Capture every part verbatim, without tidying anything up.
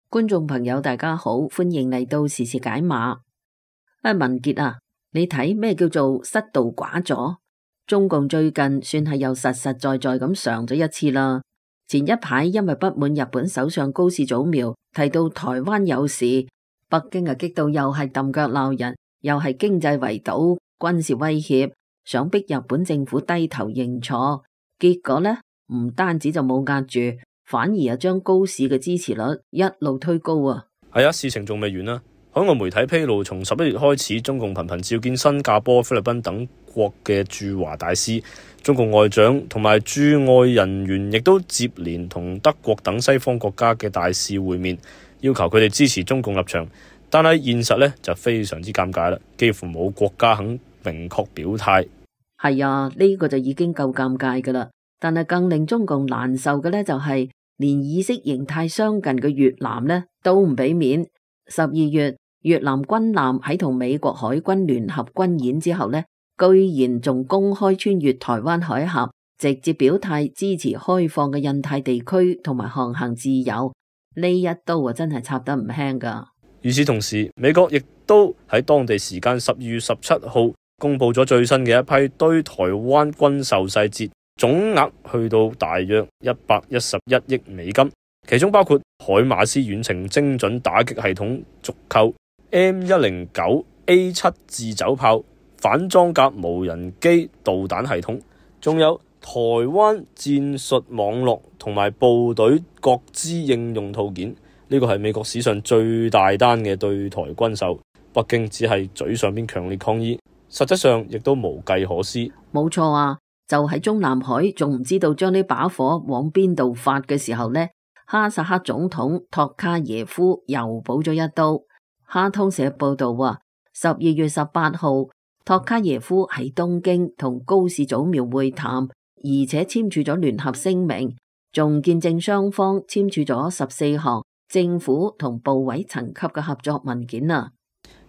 觀眾朋友大家好，歡迎嚟到時事解碼。啊，文傑啊，你睇咩叫做失道寡助？中共最近算係又實實在在咁嘗咗一次啦。前一排因為不滿日本首相高市早苗提到台灣有事，北京啊激到又係揼腳鬧人，又係經濟圍堵、軍事威脅，想逼日本政府低頭認錯。結果呢，唔單止就冇壓住，反而又將高市嘅支持率一路推高啊！係啊，事情仲未完啦。海外媒體披露，從十一月開始，中共頻頻召見新加坡、菲律賓等國嘅駐華大使，中共外長同埋駐外人員亦都接連同德國等西方國家嘅大使會面，要求佢哋支持中共立場。但係現實呢就非常之尷尬啦，幾乎冇國家肯明確表態。係啊，呢個就已經夠尷尬噶啦。但係更令中共難受嘅呢，就係連意識形態相近嘅越南呢都唔俾面。十二月，越南軍艦喺同美國海軍聯合軍演之後呢，居然仲公開穿越台灣海峽，直接表態支持開放嘅印太地區同埋航行自由。呢一刀啊，真係插得唔輕噶。與此同時，美國亦都喺當地時間十二月十七號公布咗最新嘅一批對台灣軍售細節，總額去到大約一百一十一億美金，其中包括海馬斯遠程精準打擊系統續購、M 一零九 A 七自走炮、反裝甲無人機導彈系統，仲有台灣戰術網絡同埋部隊各支應用套件。呢個係美國史上最大單嘅對台軍售，北京只係嘴上邊強烈抗議，實質上亦都無計可施。冇錯啊，就喺中南海仲唔知道將呢把火往邊度發嘅時候呢，哈薩克總統托卡耶夫又補咗一刀。哈通社報道話，十二月十八號，托卡耶夫喺東京同高市早苗會談，而且簽署咗聯合聲明，仲見證雙方簽署咗十四項政府同部委層級嘅合作文件啊，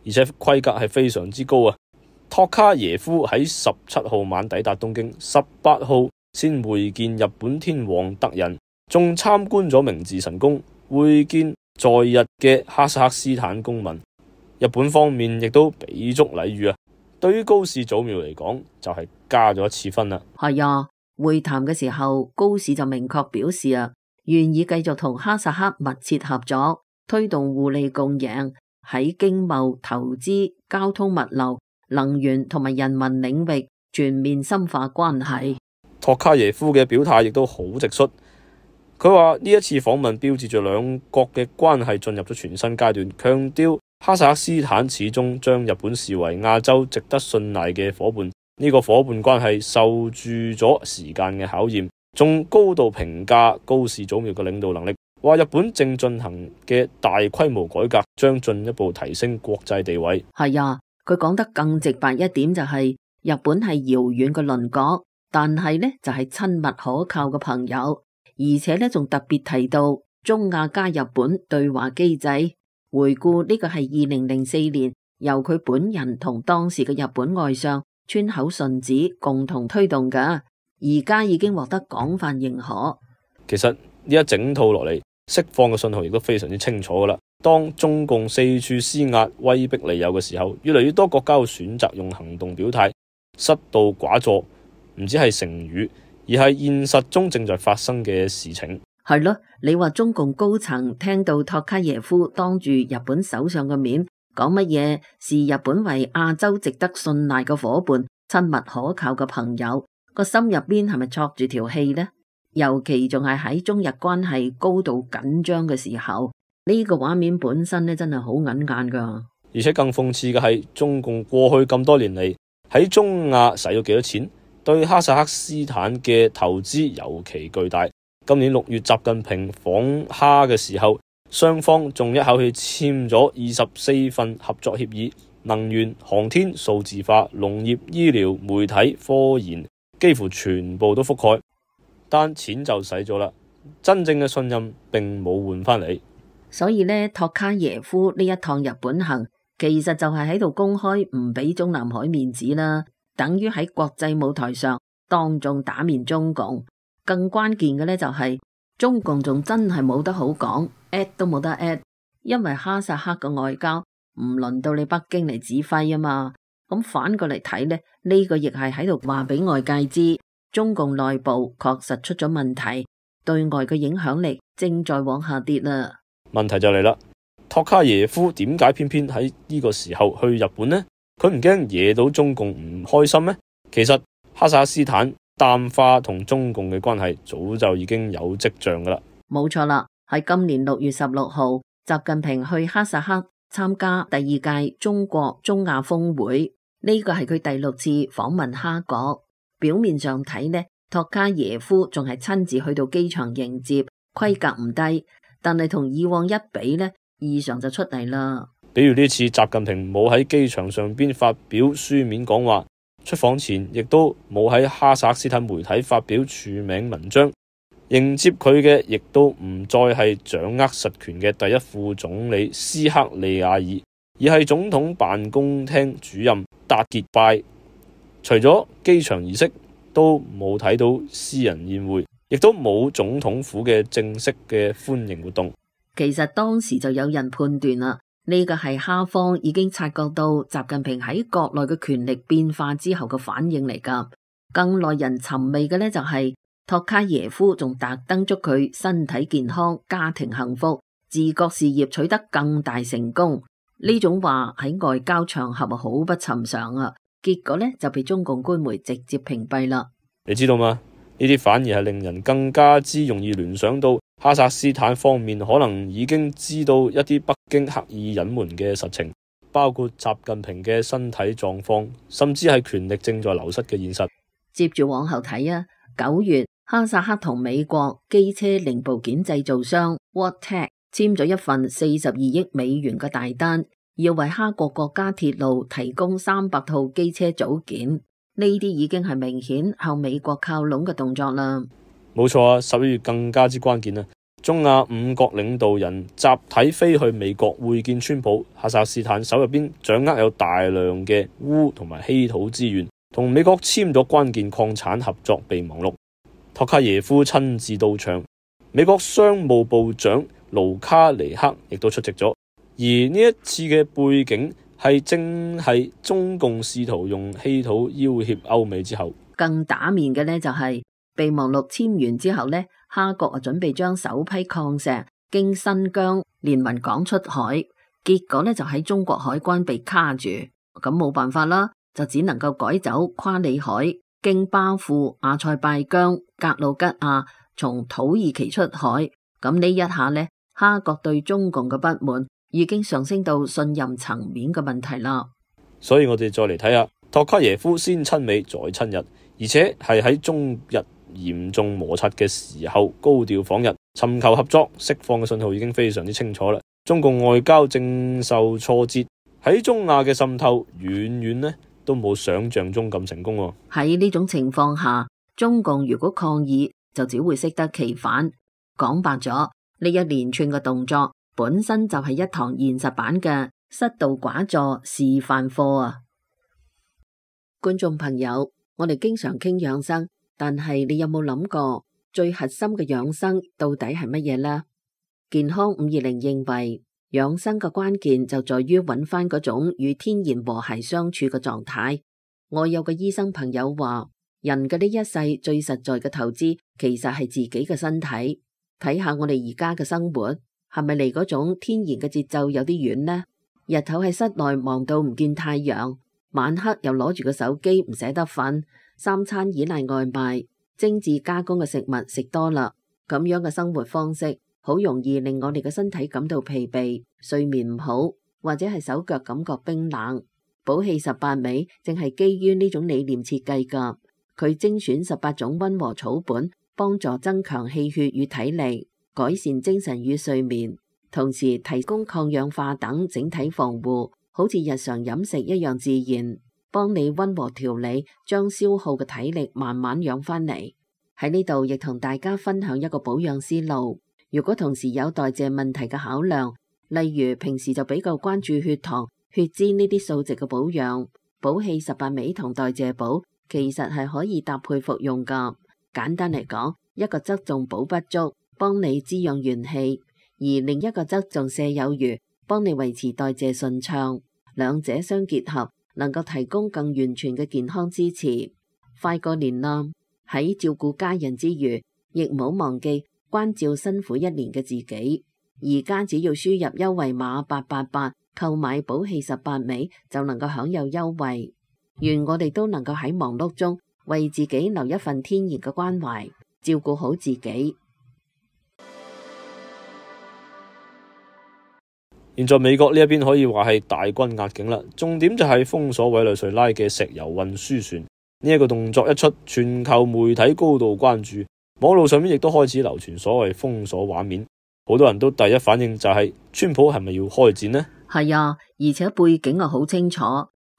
而且規格係非常之高啊！托卡耶夫喺十七號晚抵達東京，十八號先會見日本天皇德仁，仲參觀咗明治神宮，會見在日嘅哈薩克斯坦公民。日本方面亦都俾足禮遇啊！對於高市早苗嚟講，就係、是、加咗一次分啦。係啊，會談嘅時候，高市就明確表示啊，願意繼續同哈薩克密切合作，推動互利共贏，喺經貿、投資、交通物流、能源同埋人民領域全面深化關係。托卡耶夫嘅表態亦都好直率，佢話呢一次訪問標誌住兩國嘅關係進入咗全新階段，強調哈薩克斯坦始終將日本視為亞洲值得信賴嘅伙伴，呢、這個伙伴關係受住咗時間嘅考驗。仲高度評價高市早苗嘅領導能力，話日本正進行嘅大規模改革將進一步提升國際地位。係啊，佢講得更直白一點就係、是、日本係遙遠嘅鄰國，但係呢就係、是、親密可靠嘅朋友，而且呢仲特別提到中亞加日本對話機制。回顧呢個係二零零四年由佢本人同當時嘅日本外相川口順子共同推動㗎，而家已經獲得廣泛認可。其實呢一整套落嚟，釋放嘅信號亦都非常之清楚噶啦。當中共四處施壓、威逼利誘嘅時候，越嚟越多國家會選擇用行動表態。失道寡助唔止係成語，而係現實中正在發生嘅事情。係咯，你話中共高層聽到托卡耶夫當住日本首相嘅面講乜嘢視日本為亞洲值得信賴嘅伙伴、親密可靠嘅朋友，個心入邊係咪戳住條氣呢？尤其仲係喺中日關係高度緊張嘅時候，呢個畫面本身咧真係好眼眼噶。而且更諷刺嘅係，中共過去咁多年嚟喺中亞使咗幾多錢，對哈薩克斯坦嘅投資尤其巨大。今年六月習近平訪哈嘅時候，雙方仲一口氣簽咗二十四份合作協議，能源、航天、數字化、農業、醫療、媒體、科研，幾乎全部都覆蓋。但錢就使咗啦，真正嘅信任並冇換翻嚟。所以呢，托卡耶夫呢一趟日本行，其實就係喺度公開唔俾中南海面子啦，等於喺國際舞台上當眾打面中共。更關鍵嘅呢，就係中共仲真係冇得好講 ，at 都冇得 at， 因為哈薩克嘅外交唔輪到你北京嚟指揮啊嘛。咁反過嚟睇呢，呢個亦係喺度話俾外界知，中共內部確實出咗問題，對外嘅影響力正在往下跌啦。問題就嚟啦，托卡耶夫點解偏偏喺呢個時候去日本呢？佢唔驚惹到中共唔開心咩？其實哈薩克斯坦淡化同中共嘅關係早就已經有跡象噶啦。冇錯啦，喺今年六月十六號，習近平去哈薩克參加第二屆中國中亞峰會。呢個係佢第六次訪問哈國，表面上睇呢，托卡耶夫仲係親自去到機場迎接，規格唔低，但係同以往一比呢，異常就出嚟啦。比如呢次習近平冇喺機場上邊發表書面講話，出訪前亦都冇喺哈薩克斯坦媒體發表署名文章，迎接佢嘅亦都唔再係掌握實權嘅第一副總理斯克利亞爾，而係總統辦公廳主任達傑拜。除咗機場儀式，都冇睇到私人宴會，亦都冇總統府嘅正式嘅歡迎活動。其實當時就有人判斷啦，呢個係哈方已經察覺到習近平喺國內嘅權力變化之後嘅反應嚟噶。更耐人尋味嘅呢，就係托卡耶夫仲特登祝佢身體健康、家庭幸福、治國事業取得更大成功。呢種話喺外交場合好不尋常啊，結果呢，就被中共官媒直接屏蔽啦。你知道嗎？呢啲反而係令人更加之容易聯想到哈薩克斯坦方面可能已經知道一啲北京刻意隱瞞嘅實情，包括習近平嘅身體狀況，甚至係權力正在流失嘅現實。接住往後睇啊，九月哈薩克同美國機車零部件製造商 Wabtec 簽咗一份四十二億美元嘅大單，要為哈國國家鐵路提供三百套機車組件。呢啲已經係明顯向美國靠攏嘅動作啦。冇錯啊，十一月更加之關鍵啊！中亞五國領導人集體飛去美國會見川普，哈薩克斯坦手入邊掌握有大量嘅鎢同埋稀土資源，同美國簽咗關鍵礦產合作備忘錄。托卡耶夫親自到場，美國商務部長盧卡尼克亦都出席咗。而呢一次嘅背景係正係中共試圖用稀土要挾歐美之後，更打面嘅呢就係備忘錄簽完之後呢，哈國啊準備將首批礦石經新疆連雲港出海，結果呢就喺中國海關被卡住，咁冇辦法啦，就只能夠改走夸里海，經巴庫、阿塞拜疆、格魯吉亞，從土耳其出海。咁呢一下呢，哈國對中共嘅不滿已經上升到信任層面嘅問題啦。所以我哋再嚟睇下托卡耶夫先親美再親日，而且係喺中日嚴重摩擦嘅時候高調訪日，尋求合作釋放嘅信號已經非常之清楚啦。中共外交正受挫折，喺中亞嘅滲透遠遠呢都冇想象中咁成功。喺呢種情況下，中共如果抗議就只會適得其反。講白咗，呢一連串嘅動作本身就係一堂現實版嘅失道寡助示範課啊！觀眾朋友，我哋經常傾養生，但係你有冇諗過最核心嘅養生到底係乜嘢呢？健康五二零認為，養生嘅關鍵就在於揾翻嗰種與天然和諧相處嘅狀態。我有個醫生朋友話，人嘅呢一世最實在嘅投資，其實係自己嘅身體。睇下我哋而家嘅生活，係咪離嗰種天然嘅節奏有啲遠呢？日頭喺室內忙到唔見太陽，晚黑又攞住個手機唔捨得瞓，三餐依賴外賣，精緻加工嘅食物食多啦，咁樣嘅生活方式好容易令我哋嘅身體感到疲憊，睡眠唔好，或者係手腳感覺冰冷。補氣十八味正係基於呢種理念設計噶，佢精選十八種溫和草本，幫助增強氣血與體力，改善精神與睡眠，同時提供抗氧化等整體防護，好似日常飲食一樣自然，幫你溫和調理，將消耗嘅體力慢慢養翻嚟。喺呢度亦同大家分享一個保養思路。如果同時有代謝問題嘅考量，例如平時就比較關注血糖、血脂呢啲數值嘅保養，補氣十八味同代謝寶其實係可以搭配服用噶。簡單嚟講，一個側重補不足，幫你滋養元氣，而另一個側重瀉有餘，幫你維持代謝順暢。兩者相結合，能夠提供更完全嘅健康支持。快過年啦，喺照顧家人之餘，亦唔好忘記關照辛苦一年嘅自己。而家只要輸入優惠碼八八八，購買補氣十八味就能夠享有優惠。願我哋都能夠喺忙碌中為自己留一份天然嘅關懷，照顧好自己。現在美國呢一邊可以話係大軍壓境啦，重點就係封鎖委內瑞拉嘅石油運輸船。呢一個動作一出，全球媒體高度關注，網絡上面亦都開始流傳所謂封鎖畫面。好多人都第一反應就係川普係咪要開戰呢？係啊，而且背景啊好清楚，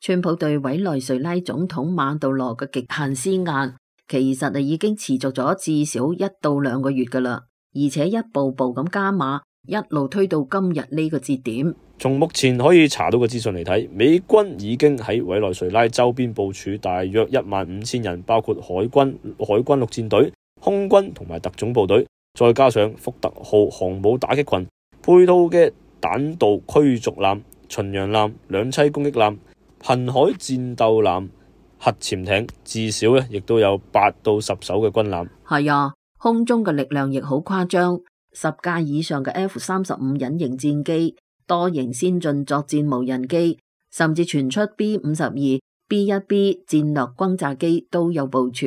川普對委內瑞拉總統馬杜羅嘅極限施壓，其實啊已經持續咗至少一到兩個月噶啦，而且一步步咁加碼，一路推到今日呢個節點。從目前可以查到嘅資訊嚟睇，美軍已經喺委內瑞拉周邊部署大約一萬五千人，包括海軍、海軍陸戰隊、空軍同埋特種部隊，再加上福特號航母打擊群，配套嘅彈道驅逐艦、巡洋艦、兩棲攻擊艦、瀕海戰鬥艦、核潛艇，至少咧亦都有八到十艘嘅軍艦。係啊，空中嘅力量亦好誇張，十架以上嘅 F 三十五隱形戰機，多型先進作戰無人機，甚至傳出 B 五十二、B 一 B 戰略轟炸機都有部署，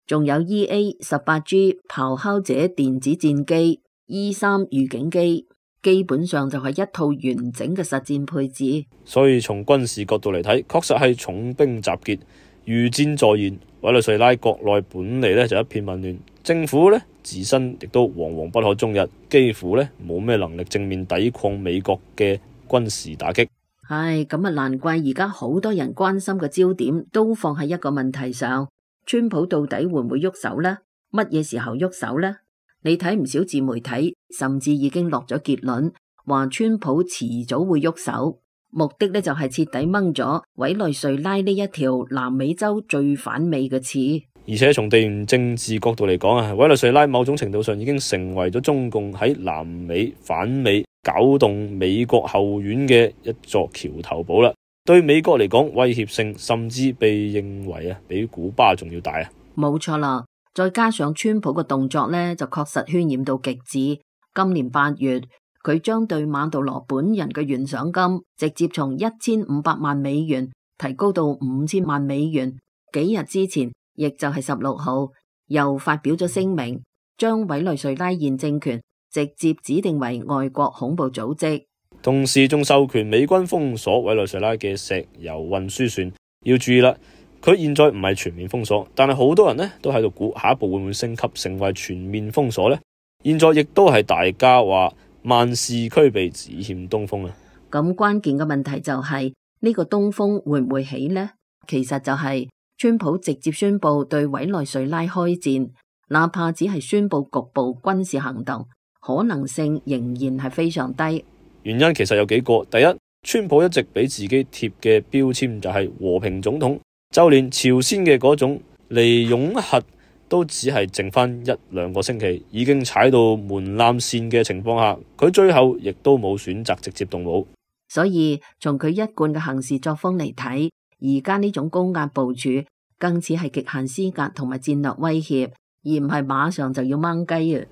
仲有 E A 十八 G 咆哮者電子戰機、E 三預警機，基本上就係一套完整嘅實戰配置。所以從軍事角度嚟睇，確實係重兵集結，如箭在弦。委內瑞拉國內本嚟咧就一片混亂，政府咧自身亦都惶惶不可終日，幾乎咧冇咩能力正面抵抗美國嘅軍事打擊。唉，咁啊難怪而家好多人關心嘅焦點都放喺一個問題上，川普到底會唔會喐手呢？乜嘢時候喐手呢？你睇唔少自媒體甚至已經落咗結論，話川普遲早會喐手。目的呢就係徹底掹咗委內瑞拉呢一條南美洲最反美嘅刺。而且從地緣政治角度嚟講啊，委內瑞拉某種程度上已經成為咗中共喺南美反美、搞動美國後院嘅一座橋頭堡啦。對美國嚟講，威脅性甚至被認為啊比古巴仲要大啊。冇錯啦，再加上川普嘅動作呢，就確實渲染到極致。今年八月，佢將對馬杜羅本人嘅懸賞金直接從一千五百萬美元提高到五千萬美元。幾日之前，亦就係十六號，又發表咗聲明，將委內瑞拉現政權直接指定為外國恐怖組織，同時仲授權美軍封鎖委內瑞拉嘅石油運輸船。要注意啦，佢現在唔係全面封鎖，但係好多人呢都喺度估下一步會唔會升級成為全面封鎖呢？現在亦都係大家話萬事俱備，只欠東風啊！咁關鍵嘅問題就係呢個東風會唔會起呢？其實就係川普直接宣布對委內瑞拉開戰，哪怕只係宣布局部軍事行動，可能性仍然係非常低。原因其實有幾個，第一，川普一直俾自己貼嘅標籤就係和平總統，就連朝鮮嘅嗰種離擁核都只係剩翻一兩個星期，已經踩到門檻線嘅情況下，佢最後亦都冇選擇直接動武。所以從佢一貫嘅行事作風嚟睇，而家呢種高壓部署更似係極限施壓同埋戰略威脅，而唔係馬上就要掹雞啊！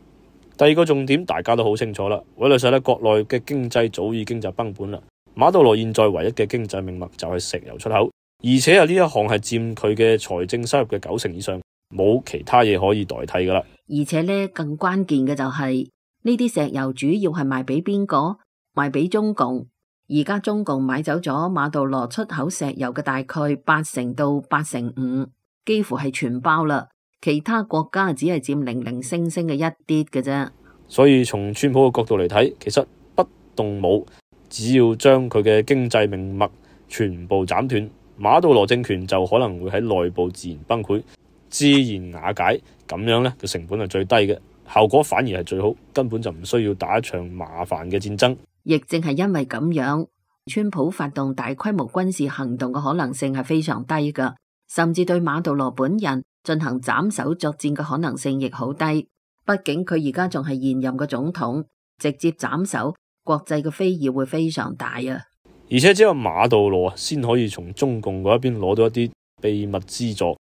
第二個重點大家都好清楚啦，委內瑞拉國內嘅經濟早已經就崩盤啦。馬杜羅現在唯一嘅經濟命脈就係石油出口，而且啊呢一項係佔佢嘅財政收入嘅九成以上，冇其他嘢可以代替噶啦。而且呢，更關鍵嘅就係呢啲石油主要係賣俾邊個？賣俾中共。而家中共買走咗馬杜羅出口石油嘅大概八成到八成五，幾乎係全包啦。其他國家只係佔零零星星嘅一啲嘅啫。所以從川普嘅角度嚟睇，其實不動武，只要將佢嘅經濟命脈全部斬斷，馬杜羅政權就可能會喺內部自然崩潰、自然瓦解。咁樣呢，個成本係最低嘅，效果反而係最好，根本就唔需要打一場麻煩嘅戰爭。亦正係因為咁樣，川普發動大規模軍事行動嘅可能性係非常低㗎，甚至對馬杜羅本人進行斬首作戰嘅可能性亦好低。畢竟佢而家仲係現任嘅總統，直接斬首，國際嘅非議會非常大啊！而且只有馬杜羅先可以從中共嗰一邊攞到一啲秘密資助，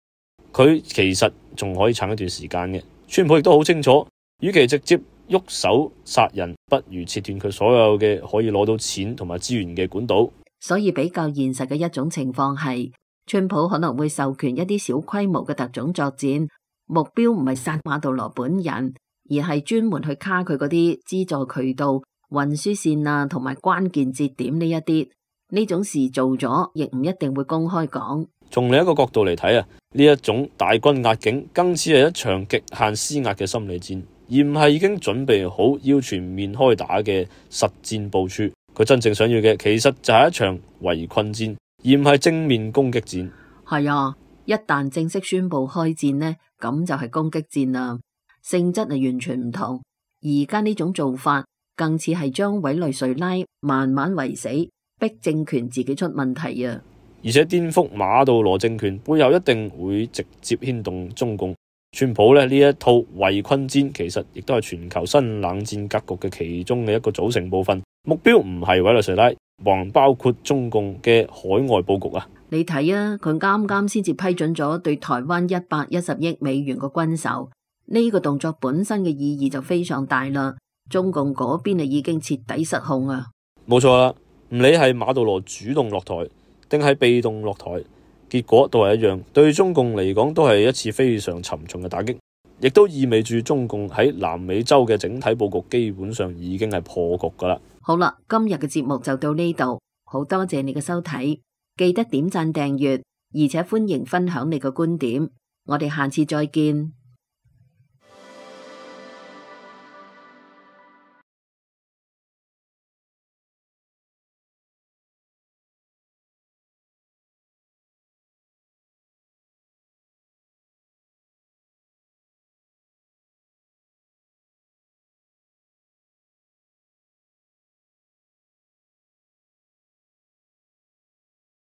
佢其實仲可以撐一段時間嘅。川普亦都好清楚，與其直接喐手殺人，不如切斷佢所有嘅可以攞到錢同埋資源嘅管道。所以比較現實嘅一種情況係，川普可能會授權一啲小規模嘅特種作戰，目標唔係殺馬杜羅本人，而係專門去卡佢嗰啲資助渠道、運輸線啊，同埋關鍵節點呢一啲。呢種事做咗，亦唔一定會公開講。從另一個角度嚟睇啊，呢一種大軍壓境，更似係一場極限施壓嘅心理戰，而唔係已經準備好要全面開打嘅實戰部署。佢真正想要嘅，其實就係一場圍困戰，而唔係正面攻擊戰。係啊，一旦正式宣布開戰呢，咁就係攻擊戰啦，性質係完全唔同。而家呢種做法，更似係將委內瑞拉慢慢圍死，逼政權自己出問題啊！而且顛覆馬杜羅政權背後一定會直接牽動中共。川普咧呢一套圍困戰，其實亦都係全球新冷戰格局嘅其中嘅一個組成部分。目標唔係委內瑞拉，還包括中共嘅海外佈局啊！你睇啊，佢啱啱先至批准咗對台灣一百一十億美元嘅軍售，呢個動作本身嘅意義就非常大啦。中共嗰邊啊已經徹底失控啊！冇錯啦，唔理係馬杜羅主動落台定係被動落台，結果都係一樣，對中共嚟講都係一次非常沉重嘅打擊，亦都意味住中共喺南美洲嘅整體佈局基本上已經係破局噶啦。好啦，今日嘅節目就到呢度，好多謝你嘅收睇，記得點讚訂閱，而且歡迎分享你嘅觀點，我哋下次再見。